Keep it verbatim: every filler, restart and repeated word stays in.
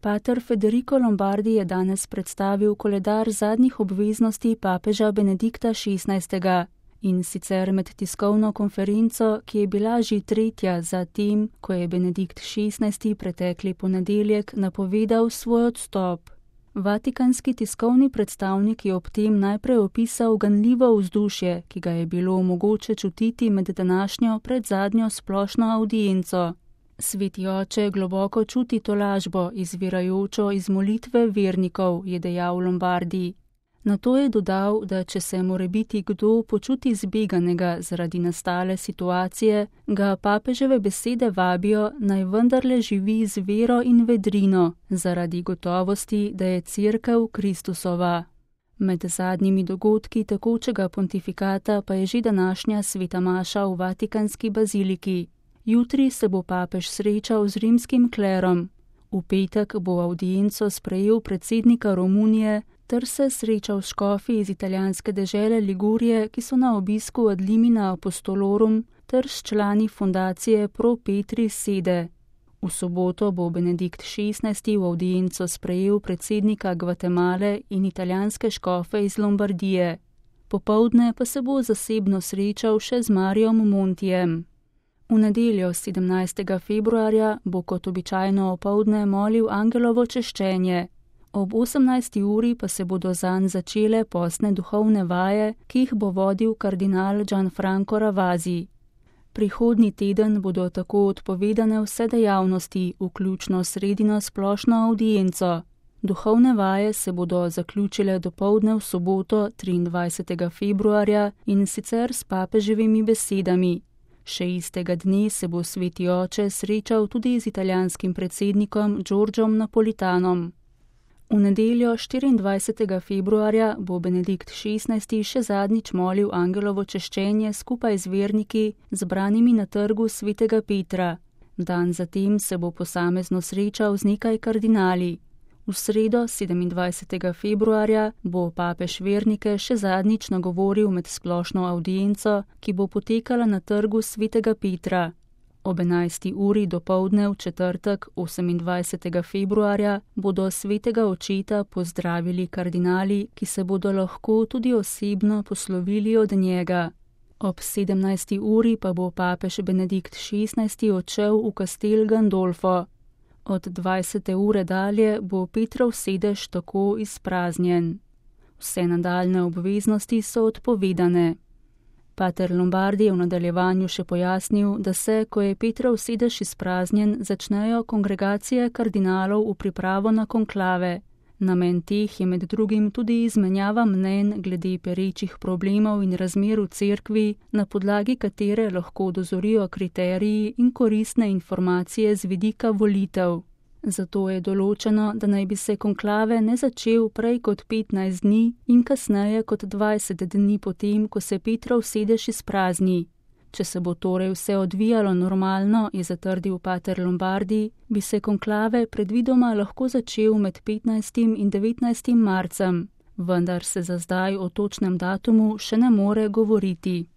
Pater Federico Lombardi je danes predstavil koledar zadnjih obveznosti papeža Benedikta šestnajstega. In sicer med tiskovno konferenco, ki je bila že tretja za tem, ko je Benedikt šestnajsti pretekli ponedeljek napovedal svoj odstop. Vatikanski tiskovni predstavnik je ob tem najprej opisal ganljivo vzdušje, ki ga je bilo mogoče čutiti med današnjo predzadnjo splošno avdienco. Sveti oče globoko čuti tolažbo, izvirajočo iz molitve vernikov, je dejal Lombardi. Nato je dodal, da če se morebiti kdo počuti zbeganega zaradi nastale situacije, ga papeževe besede vabijo, naj vendarle živi z vero in vedrino, zaradi gotovosti, da je Cerkev Kristusova. Med zadnjimi dogodki tekočega pontifikata pa je že današnja sveta maša v Vatikanski baziliki. Jutri se bo papež srečal z rimskim klerom. V petek bo avdienco sprejel predsednika Romunije, ter se srečal s škofi iz italijanske dežele Ligurije, ki so na obisku ad limina apostolorum, ter s člani fundacije Pro Petri Sede. V soboto bo Benedikt šestnajsti v avdienco sprejel predsednika Gvatemale in italijanske škofe iz Lombardije. Popoldne pa se bo zasebno srečal še z Mariom Montijem. V nedeljo sedemnajstega februarja bo kot običajno opoldne molil angelovo češčenje. Ob osemnajsti uri pa se bodo zanj začele postne duhovne vaje, ki jih bo vodil kardinal Gianfranco Ravasi. Prihodnji teden bodo tako odpovedane vse dejavnosti, vključno sredino splošno avdienco. Duhovne vaje se bodo zaključile dopoldne v soboto triindvajsetega februarja in sicer s papeževimi besedami. Še istega dne se bo sveti oče srečal tudi z italijanskim predsednikom Giorgiom Napolitanom. V nedeljo štiriindvajsetega februarja bo Benedikt šestnajsti še zadnjič molil angelovo češčenje skupaj z verniki, zbranimi na trgu svetega Petra. Dan zatem se bo posamezno srečal z nekaj kardinali. V sredo sedemindvajsetega februarja bo papež vernike še zadnjič nagovoril med splošno avdienco, ki bo potekala na trgu svetega Petra. Ob enajsti uri dopoldne v četrtek osemindvajsetega februarja bodo svetega očeta pozdravili kardinali, ki se bodo lahko tudi osebno poslovili od njega. Ob sedemnajsti uri pa bo papež Benedikt šestnajsti odšel v kastel Gandolfo. Od dvajsete ure dalje bo Petrov sedež tako izpraznjen. Vse nadaljne obveznosti so odpovedane. Pater Lombardi je v nadaljevanju še pojasnil, da se, ko je Petrov sedež izpraznjen, začnejo kongregacije kardinalov v pripravo na konklave. Namen teh je med drugim tudi izmenjava mnenj glede perečih problemov in razmer v cerkvi, na podlagi katere lahko dozorijo kriteriji in koristne informacije z vidika volitev. Zato je določeno, da naj bi se konklave ne začel prej kot petnajst dni in kasneje kot dvajset dni potem, ko se Petrov sedež izprazni. Če se bo torej vse odvijalo normalno, je zatrdil pater Lombardi, bi se konklave predvidoma lahko začel med petnajstim in devetnajstim marcem, vendar se za zdaj o točnem datumu še ne more govoriti.